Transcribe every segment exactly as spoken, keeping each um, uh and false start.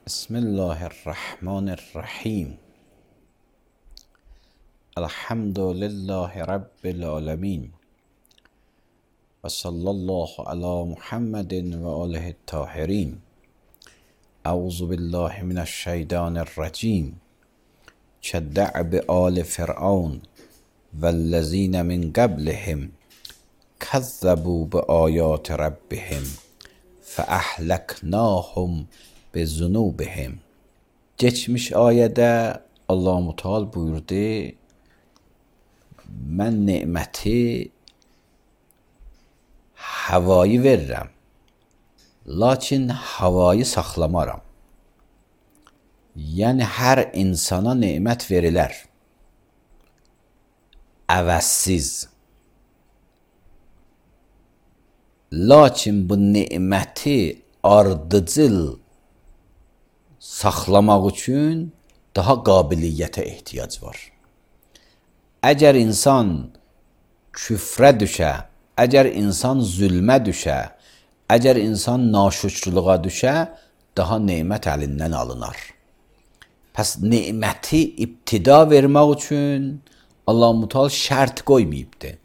بسم الله الرحمن الرحیم. الحمد لله رب العالمین و صلی الله علی محمد و آله الطاهرین. اعوذ بالله من الشیطان الرجیم. كدأب آل فرعون والذین من قبلهم كذبوا بآیات ربهم فأهلکناهم بذنوبهم. Geçmiş ayədə Allah Müteal buyurdu: mən neməti havayı verirəm, lakin havayı saxlamaram. Yəni hər insana nemət verilər, əvəzsiz. Lakin bu neməti ardıcıl saxlamaq üçün daha qabiliyyətə ehtiyac var. Əgər insan küfrə düşə, əgər insan zülmə düşə, əgər insan naşükrlüğa düşə, daha nemət əlindən alınar. Pəs neməti ibtida vermək üçün Allah Müteal şərt qoymayıbdır.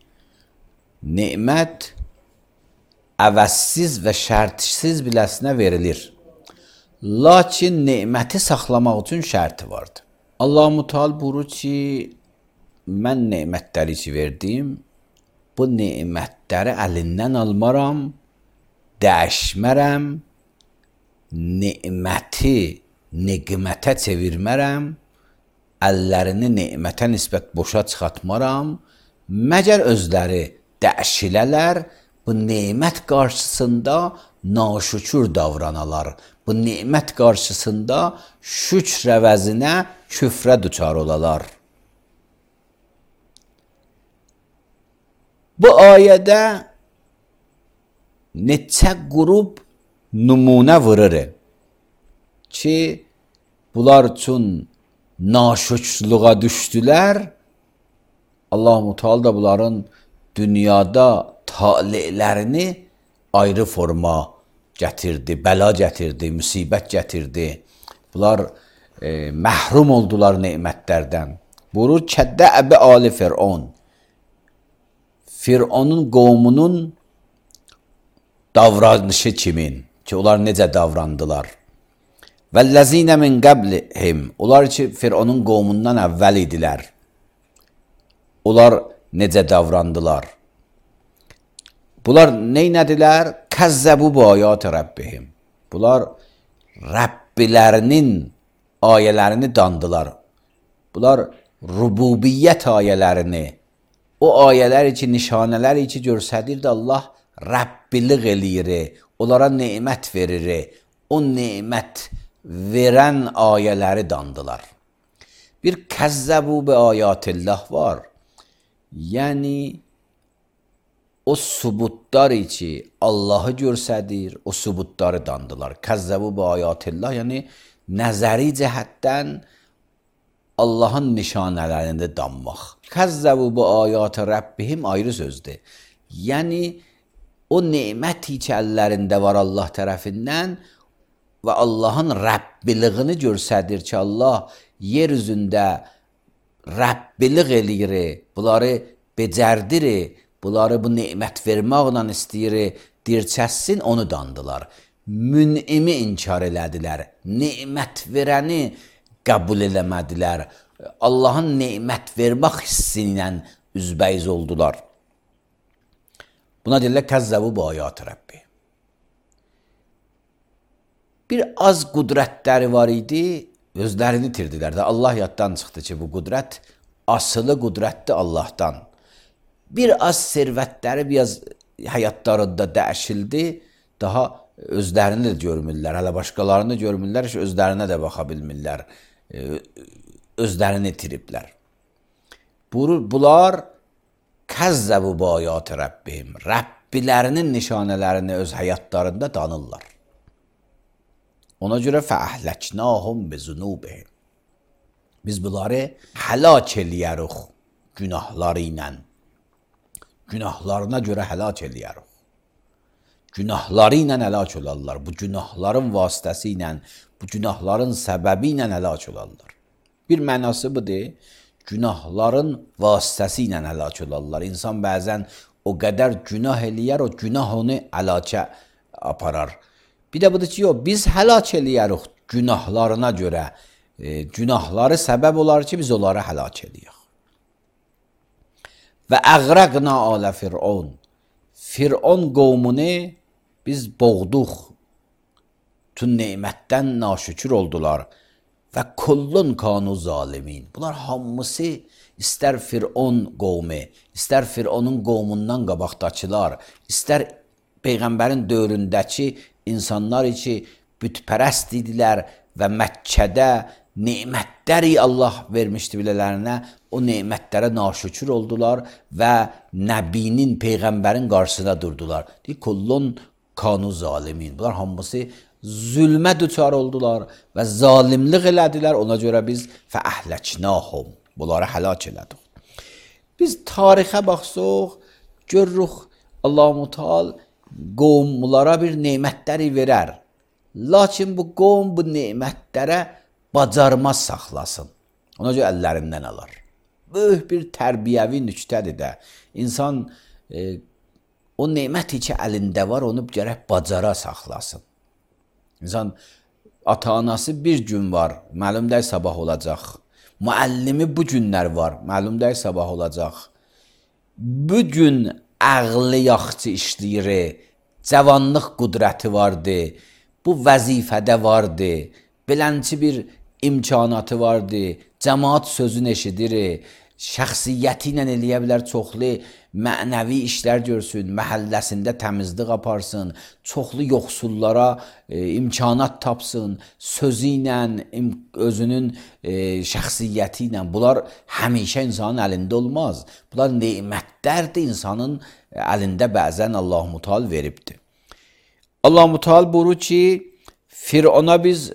Nemət əvəzsiz və şərtsiz biləsinə verilir. Lakin neməti saxlamaq üçün şərti vardır. Allah Müteal buyurur ki, mən nemətləri ki verdim, bu nemətləri əlindən almaram, dəyişmərəm, neməti neqmətə çevirmərəm, əllərini nemətə nisbət boşa çıxartmaram, məgər özləri dəyişilələr, bu nemət qarşısında naşükür davranalar. Bu nemət qarşısında şükr əvəzinə küfrə düçar olalar. Bu ayədə neçə qrup nümunə vurur ki, bunlar üçün naşükrlüğa düşdülər. Allah Müteal da bunların dünyada talelərini ayrı forma gətirdi, bəla gətirdi, müsibət gətirdi. Bunlar e, məhrum oldular nemətlərdən. Buyurur, kəddəəbi ali Fir'on. Fir'onun qovmunun davranışı kimin? Ki, onlar necə davrandılar? Vəlləzinə min qəblihim. Onlar ki, Fir'onun qovmundan əvvəl idilər. Onlar necə davrandılar? Bunlar neynədilər? Kəzzəbu bu ayat Rəbbihim. Bunlar Rəbbilərinin ayələrini dandılar. Bunlar rububiyyət ayələrini, o ayələri ki, nişanələri ki, görsədirdi Allah Rəbbilik eləyir, onlara nemət verir, o nemət verən ayələri dandılar. Bir kəzzəbu bi ayatillah var. Yəni, o subutlar ki, Allahı görsədir, o subutları dandılar. Kəzzəbu bi ayatillah, yəni nəzəri cəhətdən Allahın nişanələrində danmaq. Kəzzəbu bi ayat Rəbbihim ayrı sözdür. Yəni, o neməti ki, əllərində var Allah tərəfindən və Allahın Rəbbiliyini görsədir ki, Allah yer üzündə Rəbbilik eləyir, bunları becərdir, bunları bu nemət verməklə istəyir, dirçəssin, onu dandılar. Mün'imi inkar elədilər, nemət verəni qəbul eləmədilər, Allahın nemət vermək hissi ilə üzbəyiz oldular. Buna deyirlər, kəzzəbu bu ayat Rəbbi. bir az qüdrətləri var idi, özlərini itirdilər də. Allah yaddan çıxdı ki, bu qüdrət asılı qüdrətdir Allahdan. Bir az servətləri biraz həyatlarında dəyişildi, daha özlərini də görmürlər, hələ başqalarını görmürlər ki, özlərinə də baxa bilmirlər, özlərini itiriblər. Bunlar kəzzəbu bayat Rəbbihim, Rəbbilərinin nişanələrini öz həyatlarında danırlar. Ona görə fəəhləknahum bizunubihim. Biz bunları həlak eləyərik günahları ilə. Günahlarına görə həlak eləyərik. Günahları ilə həlak olarlar. Bu günahların vasitəsi ilə, bu günahların səbəbi ilə həlak olarlar. Bir mənası budur, günahların vasitəsi ilə həlak olarlar. İnsan bəzən o qədər günah eləyər, o günah onu həlakə aparar. Bir də budur ki, yox, biz həlak eləyərik günahlarına görə. E, günahları səbəb olar ki, biz onları həlak eləyək. Və əğrəqna alə Fir'on. Fir'on qovmunu biz boğduq. Tün neymətdən naşükür oldular. Və kullun kanu zalimin. Bunlar hamısı istər Fir'on qovmu, istər Fir'onun qovmundan qabaqdakılar, istər Peyğəmbərin dövründəki insanlar ki, bütpərəst idilər və Məkkədə nemətləri Allah vermişdi bilələrinə, o nemətlərə naşükür oldular və Nəbinin, Peyğəmbərin qarşısına durdular. Deyir, kullun kanu zalimin. Bunlar hamısı zülmə düçar oldular və zalimlik elədilər. Ona görə biz fəəhləknahum, bunları həlak elədik. Biz tarixə baxsaq, görürük Allah-u Teala qovmlara bir nemətləri verər. Lakin bu qovm bu nemətlərə bacarmaz saxlasın. Ona görə əllərindən alar. Böyük bir tərbiyəvi nüktədir də. İnsan e, o neməti ki əlində var, onu gərək bacara saxlasın. İnsan ata-anası bir gün var, məlum deyil sabah olacaq. Müəllimi bu günlər var, məlum deyil sabah olacaq. Bu gün ağlı yaxşı işləyir, cavanlıq qüdrəti vardı, bu vəzifədə vardı, bilənçi bir imkanatı vardı, cəmaat sözünü eşidir, şəxsiyyəti ilə eləyə bilər, çoxlu mənəvi işlər görsün, məhəlləsində təmizlik aparsın, çoxlu yoxsullara e, imkanat tapsın, sözü ilə, özünün e, şəxsiyyəti ilə. Bunlar həmişə insanın əlində olmaz. Bunlar nemətlərdir, insanın əlində bəzən Allah-u Teala veribdir. Allah-u Teala buyurur ki, Fir'ona biz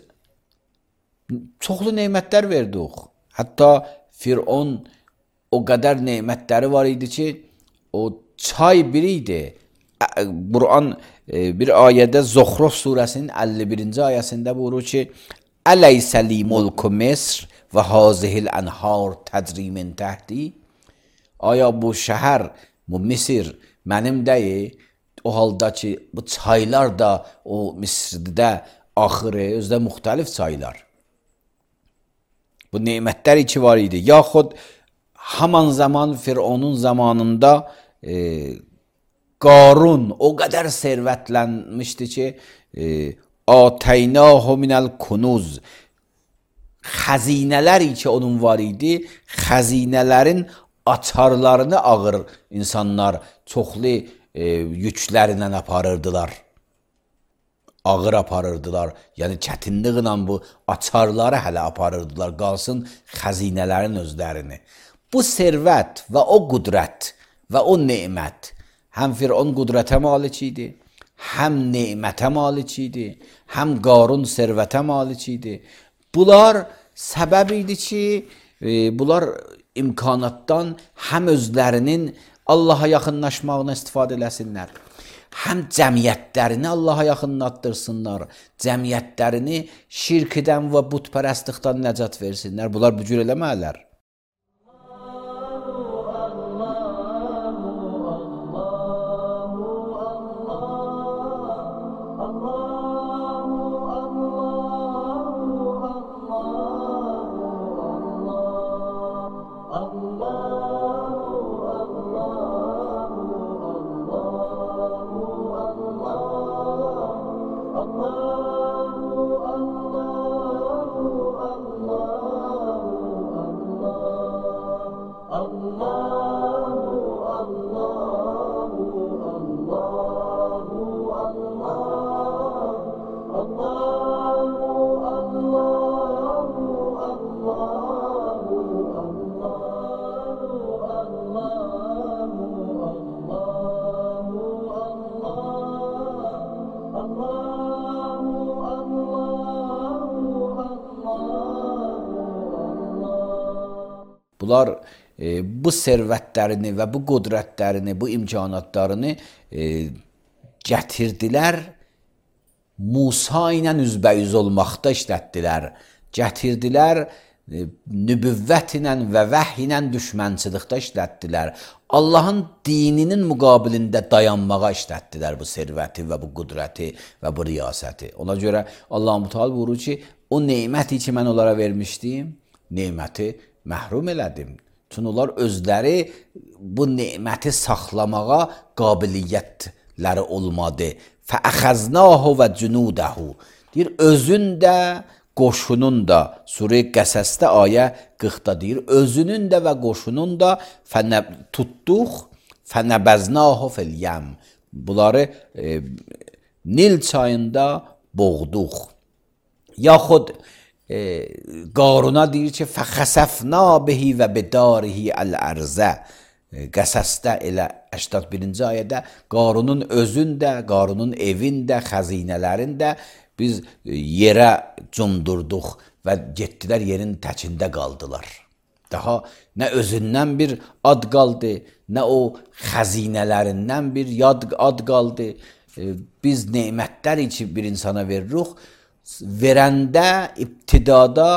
çoxlu nemətlər verdik. Hətta Fir'on o qədər nemətləri var idi ki, o çay biri idi. Quran bir ayədə Zuhruf surəsinin əlli birinci ayəsində buyurur ki, Əleysə-li mulku Misr və hazihil ənhar təcri min təhti. Aya bu şəhər, bu Misir mənim deyil, o halda ki, bu çaylar da o Misirdə axırı, özdə müxtəlif çaylar. Bu nemətlər iki var idi. Yaxud haman zaman Fir'onun zamanında e, Qarun o qədər servətlənmişdi ki, e, Ateynahu minəl kunuz, xəzinələr ki onun var idi, xəzinələrin açarlarını ağır insanlar çoxlu e, yüklərlə aparırdılar. Ağır aparırdılar. Yəni çətinliklə bu açarları hələ aparırdılar. Qalsın xəzinələrin özlərini. Bu servət və o qüdrət və o nemət həm Fir'on qüdrətə malik idi, həm nemətə malik idi, həm Qarun servətə malik idi. Bunlar səbəb idi ki, e, bunlar imkanatdan həm özlərinin Allaha yaxınlaşmağına istifadə eləsinlər, həm cəmiyyətlərini Allaha yaxınlatdırsınlar, cəmiyyətlərini şirkdən və butpərəstlikdən nəcat versinlər. Bunlar bu cür eləmələr. Allah bunlar e, bu sərvətlərini və bu qudrətlərini, bu imkanatlarını e, gətirdilər, Musa ilə üzbəyüz olmaqda işlətdilər, gətirdilər, e, nübüvvət ilə və vəhy ilə düşmənçilikdə işlətdilər, Allahın dininin müqabilində dayanmağa işlətdilər bu sərvəti və bu qudrəti və bu riyasəti. Ona görə Allah-u Teala buyurur ki, o neməti ki, mən onlara vermişdim, neməti məhrum elədim. Çünki onlar özləri bu neməti saxlamağa qabiliyyətləri olmadı. Fəəxəznəhu və cünudəhu. Deyir, özün də, qoşunun da, Surə-i Qəsəsdə ayə qırxda deyir, özünün də və qoşunun da tutduq, fənəbəznəhu fil-yəm. Bunları e, Nil çayında boğduq. Yaxud e, Qaruna deyir ki, fəxəsəfna bihi və bidarihi əl-ərzə. Qəsəsdə elə səksən birinci ayədə Qarunun özündə, Qarunun evində, xəzinələrində biz yerə cumdurduq və getdilər yerin təkində qaldılar. Daha nə özündən bir ad qaldı, nə o xəzinələrindən bir yad ad qaldı. Biz nemətlər ki bir insana veririk, verəndə, ibtidada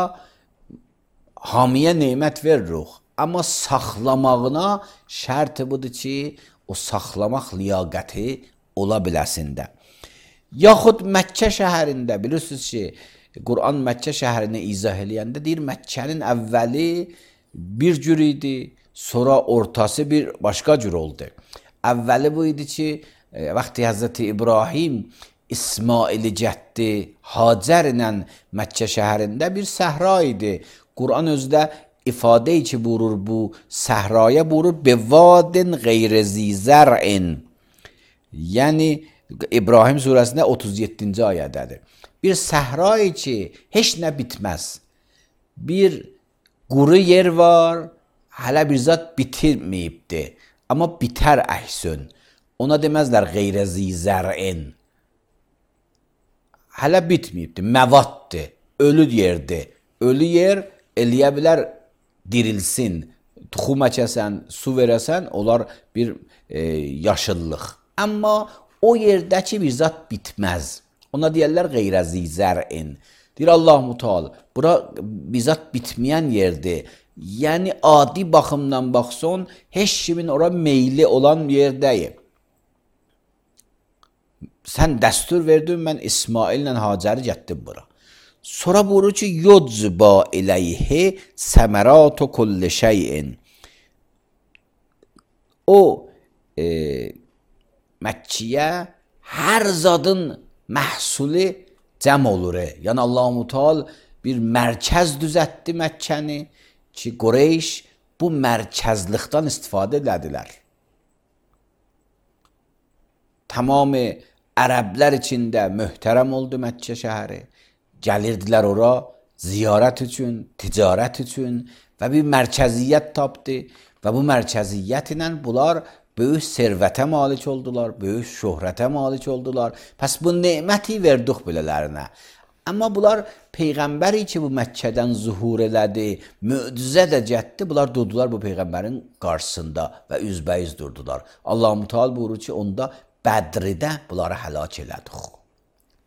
hamiyə nemət veririk. Amma saxlamağına şərti budur ki, o saxlamaq liyaqəti ola biləsində. Yaxud Məkkə şəhərində, bilirsiniz ki, Quran Məkkə şəhərini izah eləyəndə deyir, Məkkənin əvvəli bir cür idi, sonra ortası bir başqa cür oldu. Əvvəli bu idi ki, vaxtı Həzrəti İbrahim İsmaili cəddi Hacər ilə Məkkə şəhərində bir səhra idi. Quran özdə ifadə ki buyurur bu səhraya buyurur bevadin qeyri zizər'in. Yəni İbrahim surəsində otuz yeddinci ayədədir. Bir səhrayı ki heç nə bitməz. Bir quru yer var, hələ bir zat bitirməyibdi. Amma bitər əhsün. Ona deməzlər qeyri zizər'in. Hələ bitməyibdi, məvaddır, ölü yerdir. Ölü yer eləyə bilər dirilsin, tuxum əkəsən, su verəsən, onlar bir e, yaşıllıq. Amma o yerdəki bir zat bitməz. Ona deyərlər qeyrəzi zər'in. Deyir Allah-u Teala, bura bir zat bitməyən yerdir. Yəni adi baxımdan baxson, heç kimin ora meyli olan yerdəyim. Sən dəstur verdin, mən İsmaillə Hacəri getdim bura. Sonra buyurur ki, yudzba ileyhi semeratu kulli şeyin. O e, Məkkiyə hər zadın məhsuli cəm olur. Yəni Allah-u Teala bir mərkəz düzətdi Məkkəni ki, Qureyş bu mərkəzlikdən istifadə edədilər. Tamamı ərəblər içində möhtərəm oldu Məkkə şəhəri. Gəlirdilər ora ziyarət üçün, ticarət üçün və bir mərkəziyyət tapdı və bu mərkəziyyət ilə bunlar böyük sərvətə malik oldular, böyük şöhrətə malik oldular. Pəs bu neməti verdik belələrinə. Amma bunlar Peyğəmbəri ki bu Məkkədən zuhur elədi, möcüzə də getdi, bunlar durdular bu Peyğəmbərin qarşısında və üzbəyiz durdular. Allah-u Teala buyurur ki, onda Bədridə bunları həlak elədik.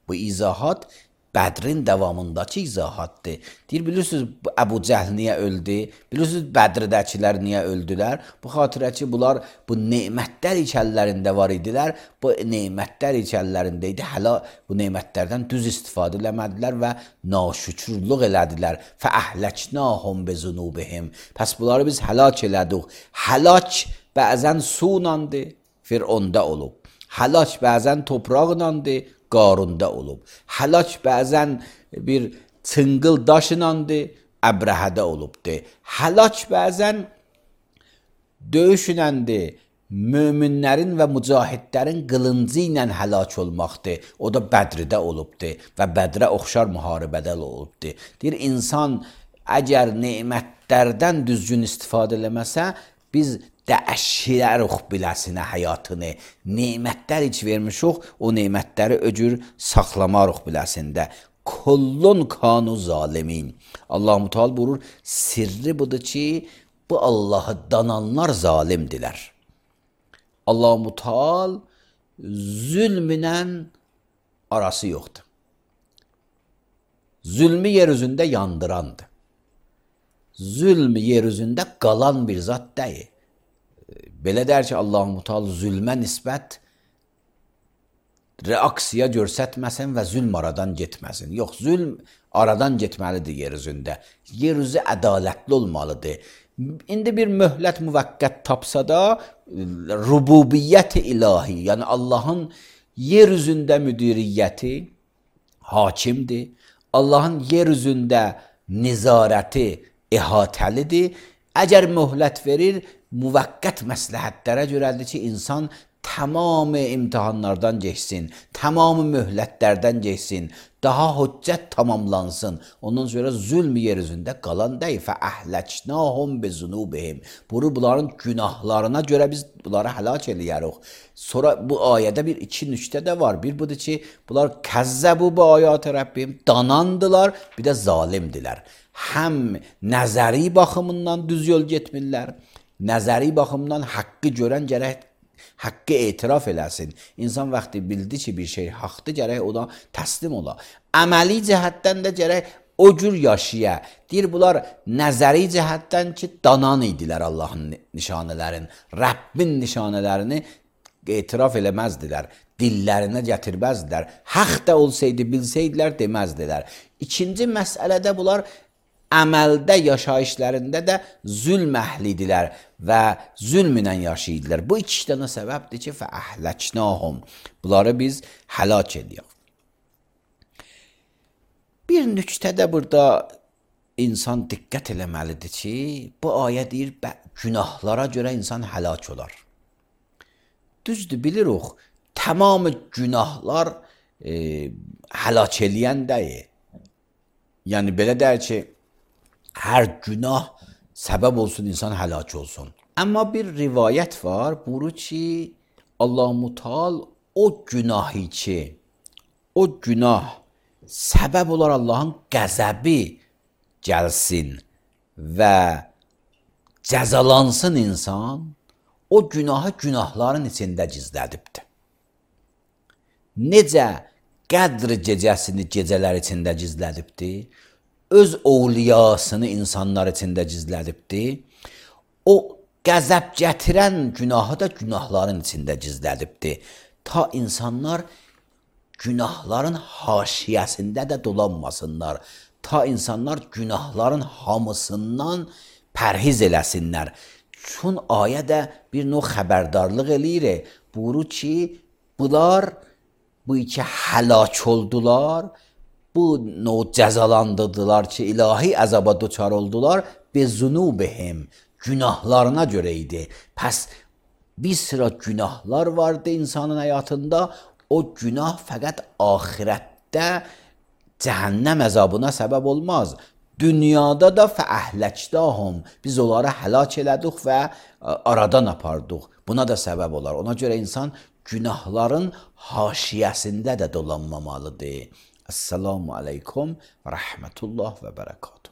Bu izahat Bədrin davamındakı izahatdır. Deyir, bilirsiniz Əbu Cəhl niyə öldü? Bilirsiniz Bədridəkilər niyə öldülər? Bu xatirə ki, bunlar bu nemətlər içəllərində var idilər. Bu nemətlər içəllərində idi. Hələ bu nemətlərdən düz istifadə eləmədilər və naşükürlük elədilər. Fəəhləknahum bezunubihim. Pəs bunları biz həlak elədik. Həlak bəzən sunandı, Fironda olub. Həlak bəzən topraqlandı, Qarunda olub. Həlak bəzən bir çıngıl daşınandı, Əbrəhədə olubdu. Həlak bəzən döyüşünəndi, möminlərin və mücahidlərin qılıncı ilə həlak olmaqdır. O da Bədridə olubdu və Bədrə oxşar müharibədə olubdu. Deyir, insan əgər nemətlərdən düzgün istifadə eləməsə, biz dəşirəruq biləsinə həyatını, nemətlər iç vermişuq, o nemətləri öcür saxlamaruq biləsində. Kullun kanu zalimin. Allah-u Teala buyurur, sirri budur ki, bu bu Allahı dananlar zalimdiler. Allah Mutal zulmünlə arası yoxdur. Zulmü yeryüzündə yandırandır. Zulmü yeryüzündə qalan bir zat deyil. Belə der ki, Allah Mutal zülmə nisbət reaksiya göstərməsin və zülm aradan getməsin. Yox, zülm aradan getməlidir yeryüzündə. Yeryüzü ədalətli olmalıdır. İndi bir möhlət müvəqqət tapsa da rububiyyət ilahi, yəni Allahın yeryüzündə müdiriyyəti hakimdir. Allahın yeryüzündə nizarəti əhatəlidir. Əgər möhlət verir, müvəqqət məsləhətlərə görədir ki, insan tamamı imtihanlardan geçsin, tamamı möhlətlərdən geçsin, daha hüccət tamamlansın. Ondan sonra zülm yeryüzündə qalan deyil. Fəəhləknahum bizunubihim. Bunu bunların günahlarına görə biz bunları həlak eləyərik. Sonra bu ayədə bir iki nüktə də var. Bir budur ki, bunlar kəzzəbu bu ayət-i Rəbbim, danandılar, bir də zalimdilər. Həm nəzəri baxımından düz yol getmirlər, nəzəri baxımdan haqqı görən gərək haqqı etiraf eləsin. İnsan vaxtı bildi ki, bir şey haqdır, gərək ona təslim ola. Əməli cəhətdən də gərək o cür yaşaya. Deyir, bunlar nəzəri cəhətdən ki, danan idilər Allahın nişanələrin, Rəbbin nişanələrini etiraf eləməzdilər, dillərinə gətirməzdilər. Haqq da olsaydı, bilsəydilər, deməzdilər. İkinci məsələdə bunlar əməldə, yaşayışlarında da zülm əhlidirlər və zülmünə yaşayırlar. Bu iki dənə səbəbdir ki, fəəhləknahum. Bunları biz həlak edirik. Bir nüktə də burada insan diqqət eləməlidir ki, bu ayə deyir, günahlara görə insan həlak olar. Düzdür, bilirik, tamamı günahlar e, həlak eləyən deyil. Yəni, belə deyir ki, hər günah səbəb olsun, insan həlak olsun. Amma bir rivayət var, buyurur ki, Allah Mutal o günahı ki, o günah səbəb olar Allahın qəzəbi gəlsin və cəzalansın insan, o günahı günahların içində gizlədibdir. Necə qədr gecəsini gecələr içində gizlədibdir, öz ovliyasını insanlar içində gizlədibdir. O qəzəb gətirən günahı da günahların içində gizlədibdir. Ta insanlar günahların haşiyəsində də dolanmasınlar. Ta insanlar günahların hamısından pərhiz eləsinlər. Çün ayə də bir növ xəbərdarlıq eləyir. Buyurur ki, bunlar bu iki həlak oldular, bu növ cəzalandırdılar ki, ilahi əzaba duçar oldular, bezunubihim, günahlarına görə idi. Pəs bir sıra günahlar vardı insanın həyatında, o günah fəqət axirətdə cəhənnəm əzabına səbəb olmaz. Dünyada da fəəhləkdahum, biz onları həlak elədik və aradan apardıq. Buna da səbəb olar. Ona görə insan günahların haşiyəsində də dolanmamalıdır. Esselamu aleykum və rəhmətullah və bərəkatuhu.